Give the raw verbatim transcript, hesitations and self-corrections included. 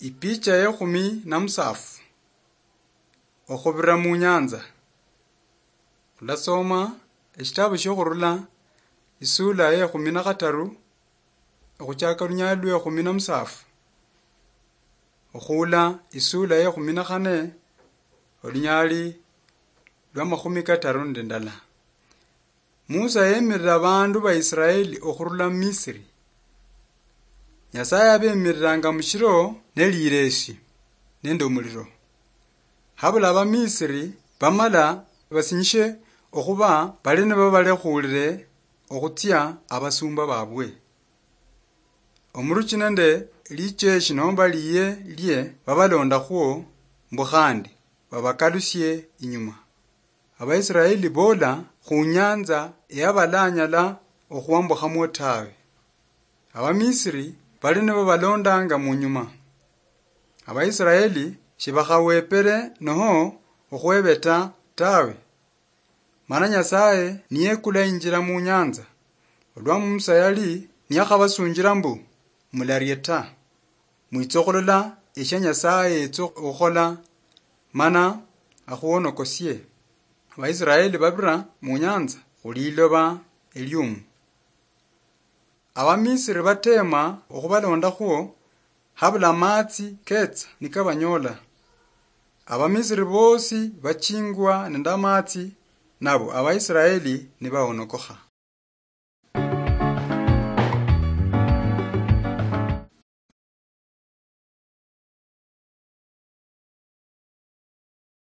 Ipicha yekhumi na musafu. Okhubira mu nyanza. Khulasoma eshitabu shiokhurula isula yekhumi na khataru, okhuchaka olunyali lwekhumi na musafu, okhuula isula yekhumi na khane, olunyali lwa makhumi kataru nende ndala. Musa yemirira abandu ba Israeli okhurula mu Misiri. Nyasaye abemiriranga mushiro nelireshi nende omuliro. Habula Abamisiri bamala basinyishe okhuba bali nibo balekhuulire okhutsia abasumba babwe. Omuruchi nende licheshi nomba liye lye babalondakhwo mbu khandi babakalusie inyuma. Abaisiraeli boola khu nyanza eyabalanyala okhwambukhamwo tawe. Abamisiri bali nibo balondanga munyuma. Abaisiraeli shibakhawepere noho okhwebeta tawe. Mana Nyasaye niyekula injira mu nyanza, olwa Musa yali niyakhabasunjira mbu, "Mularie ta. Mwitsa okhulola eshia Nyasaye yetsa okhukhola, mana akhuonokosie." Abaisiraeli babira mu nyanza khuliloba eliumu. Abamisiri batema okhubalondakhwo, habula amatsi ketsa nikabanyola. Abamisiri bosi bachingwa nende amatsi, nabo Abaisiraeli nibaonokokha.